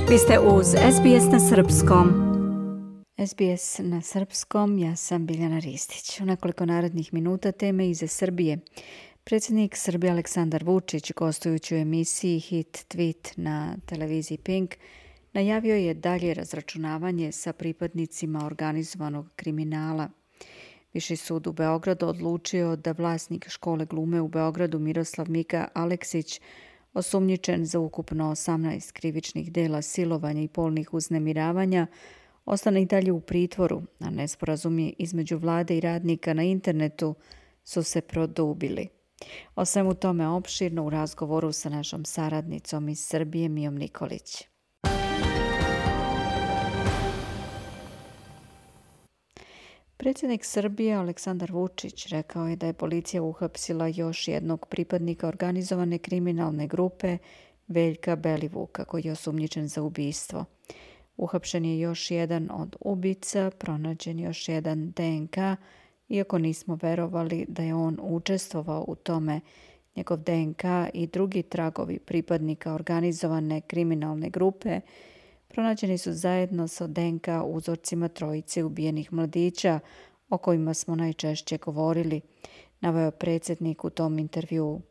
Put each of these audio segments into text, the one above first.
Vi ste uz SBS na Srpskom. SBS na Srpskom, ja sam Biljana Ristić. U nekoliko narednih minuta teme iza Srbije. Predsjednik Srbije Aleksandar Vučić, gostujući u emisiji Hit Tweet na televiziji Pink, najavio je dalje razračunavanje sa pripadnicima organizovanog kriminala. Viši sud u Beogradu odlučio da vlasnik škole glume u Beogradu Miroslav Mika Aleksić, osumnjičen za ukupno 18 krivičnih dela silovanja i polnih uznemiravanja, ostane i dalje u pritvoru, a nesporazumi između vlade i radnika na internetu su se produbili. O svemu tome opširno u razgovoru sa našom saradnicom iz Srbije Mijom Nikolić. Predsjednik Srbije Aleksandar Vučić rekao je da je policija uhapsila još jednog pripadnika organizovane kriminalne grupe Veljka Belivuka, koji je osumnjičen za ubistvo. Uhapšen je još jedan od ubica, pronađen još jedan DNK, iako nismo verovali da je on učestvovao u tome. Njegov DNK i drugi tragovi pripadnika organizovane kriminalne grupe pronađeni su zajedno sa DNK uzorcima trojice ubijenih mladića o kojima smo najčešće govorili, naveo predsjednik u tom intervjuu.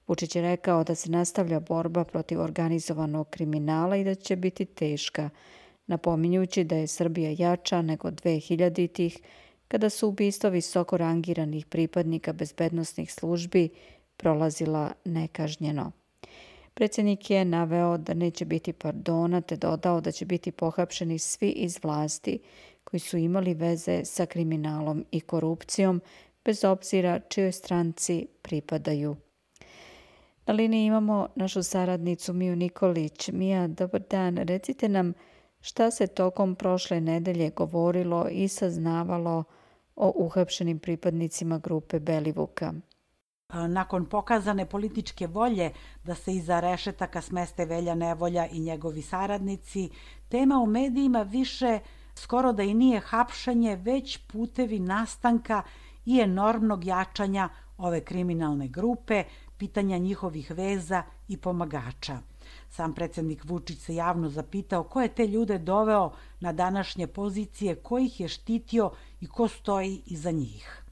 Vučić je rekao da se nastavlja borba protiv organizovanog kriminala i da će biti teška, napominjući da je Srbija jača nego 2000-ih, kada su ubistva visoko rangiranih pripadnika bezbednosnih službi prolazila nekažnjeno. Predsjednik je naveo da neće biti pardona, te dodao da će biti pohapšeni svi iz vlasti koji su imali veze sa kriminalom i korupcijom, bez obzira čijoj stranci pripadaju. Na liniji imamo našu saradnicu Miju Nikolić. Mija, dobar dan. Recite nam šta se tokom prošle nedelje govorilo i saznavalo o uhapšenim pripadnicima grupe Belivuka. Nakon pokazane političke volje da se iza rešetaka smeste Velja Nevolja i njegovi saradnici, tema u medijima više skoro da i nije hapšenje, već putevi nastanka i enormnog jačanja ove kriminalne grupe, pitanja njihovih veza i pomagača. Sam predsjednik Vučić se javno zapitao ko je te ljude doveo na današnje pozicije, ko ih je štitio i ko stoji iza njih.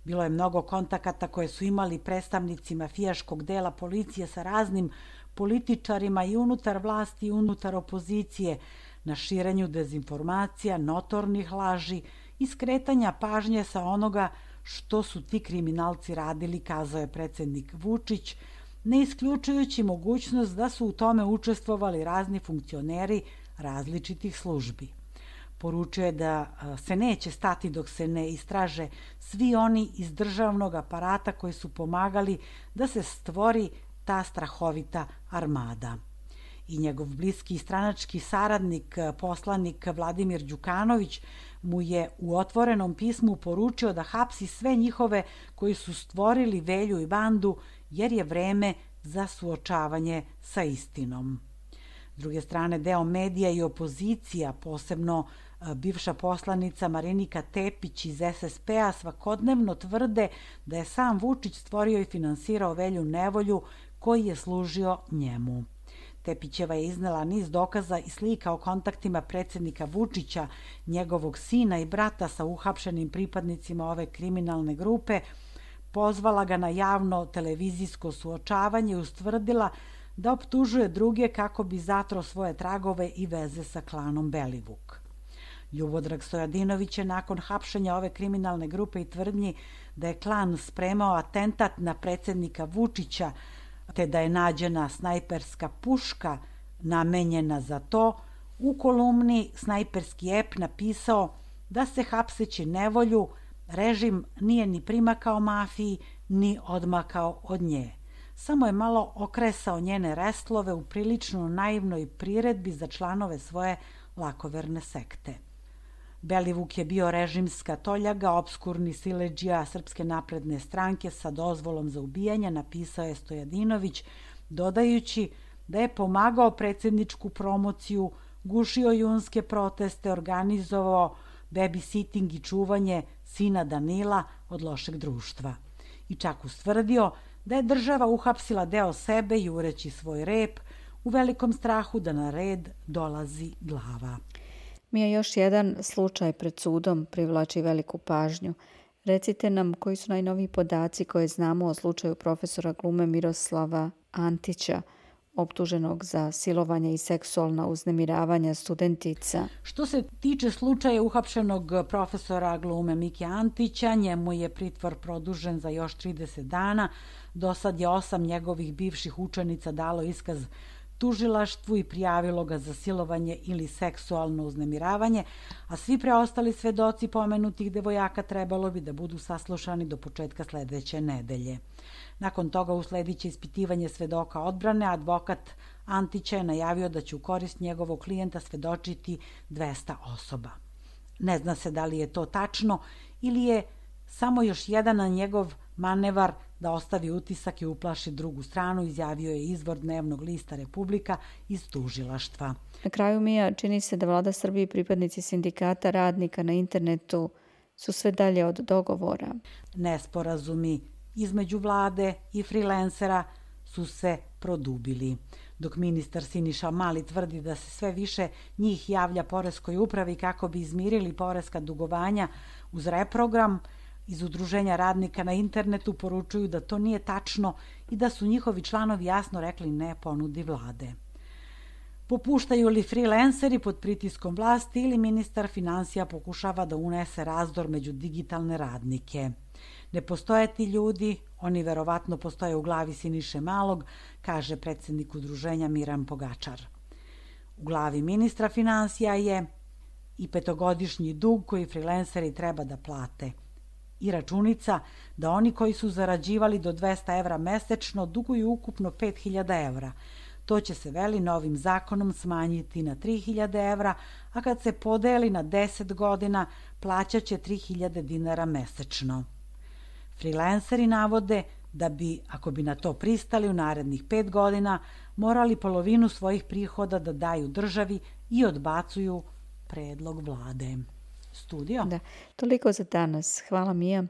Bilo je mnogo kontakata koje su imali predstavnici mafijaškog dela policije sa raznim političarima i unutar vlasti i unutar opozicije na širenju dezinformacija, notornih laži i skretanja pažnje sa onoga što su ti kriminalci radili, kazao je predsjednik Vučić, ne isključujući mogućnost da su u tome učestvovali razni funkcioneri različitih službi. Poručio je da se neće stati dok se ne istraže svi oni iz državnog aparata koji su pomagali da se stvori ta strahovita armada. I njegov bliski stranački saradnik, poslanik Vladimir Đukanović, mu je u otvorenom pismu poručio da hapsi sve njihove koji su stvorili Velju i bandu, jer je vreme za suočavanje sa istinom. S druge strane, deo medija i opozicija, posebno bivša poslanica Marinika Tepić iz SSP-a, svakodnevno tvrde da je sam Vučić stvorio i finansirao Velju Nevolju koji je služio njemu. Tepićeva je iznela niz dokaza i slika o kontaktima predsjednika Vučića, njegovog sina i brata sa uhapšenim pripadnicima ove kriminalne grupe, pozvala ga na javno televizijsko suočavanje i ustvrdila da optužuje druge kako bi zatro svoje tragove i veze sa klanom Belivuk. Ljubodrag Stojadinović je nakon hapšenja ove kriminalne grupe i tvrdnji da je klan spremao atentat na predsjednika Vučića, te da je nađena snajperska puška namenjena za to, u kolumni Snajperski ep napisao da se hapseći Nevolju režim nije ni primakao mafiji, ni odmakao od nje. Samo je malo okresao njene restlove u prilično naivnoj priredbi za članove svoje lakoverne sekte. Belivuk je bio režimska toljaga, opskurni siledžija Srpske napredne stranke sa dozvolom za ubijanje, napisao je Stojadinović, dodajući da je pomagao predsjedničku promociju, gušio junske proteste, organizovao babysitting i čuvanje sina Danila od lošeg društva. I čak ustvrdio da je država uhapsila deo sebe jureći svoj rep u velikom strahu da na red dolazi glava. Mija, još jedan slučaj pred sudom privlači veliku pažnju. Recite nam koji su najnoviji podaci koje znamo o slučaju profesora glume Miroslava Antića, optuženog za silovanje i seksualna uznemiravanja studentica. Što se tiče slučaja uhapšenog profesora glume Mike Antića, njemu je pritvor produžen za još 30 dana. Do sad je 8 njegovih bivših učenica dalo iskaz tužilaštvu i prijavilo ga za silovanje ili seksualno uznemiravanje, a svi preostali svedoci pomenutih devojaka trebalo bi da budu saslušani do početka sledeće nedelje. Nakon toga usledit će ispitivanje svedoka odbrane, a advokat Antića je najavio da će u korist njegovog klijenta svedočiti 200 osoba. Ne zna se da li je to tačno ili je samo još jedan na njegov manevar da ostavi utisak i uplaši drugu stranu, izjavio je izvor dnevnog lista Republika iz tužilaštva. Na kraju, Mija, čini se da vlada Srbije i pripadnici sindikata radnika na internetu su sve dalje od dogovora. Nesporazumi između vlade i freelancera su se produbili. Dok ministar Siniša Mali tvrdi da se sve više njih javlja poreskoj upravi kako bi izmirili poreska dugovanja uz reprogram, iz Udruženja radnika na internetu poručuju da to nije tačno i da su njihovi članovi jasno rekli ne ponudi vlade. Popuštaju li freelanceri pod pritiskom vlasti ili ministar finansija pokušava da unese razdor među digitalne radnike? Ne postoje ti ljudi, oni verovatno postoje u glavi Siniše Malog, kaže predsjednik udruženja Miran Pogačar. U glavi ministra finansija je i 5-godišnji dug koji freelanceri treba da plate. I računica da oni koji su zarađivali do 200 evra mesečno duguju ukupno 5000 evra. To će se, veli, novim zakonom smanjiti na 3000 evra, a kad se podeli na 10 godina plaćat će 3000 dinara mesečno. Freelanceri navode da bi, ako bi na to pristali u narednih 5 godina, morali polovinu svojih prihoda da daju državi i odbacuju predlog vlade. Studio. Da, toliko za danas. Hvala, Mija.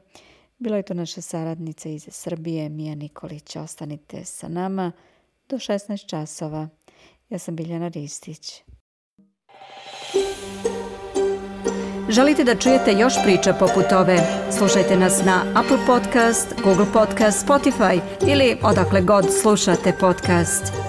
Bila je to naša saradnica iz Srbije, Mija Nikolić. Ostanite sa nama do 16 časova. Ja sam Biljana Ristić. Želite da čujete još priča poput ove? Slušajte nas na Apple Podcast, Google Podcast, Spotify ili odakle god slušate podcast.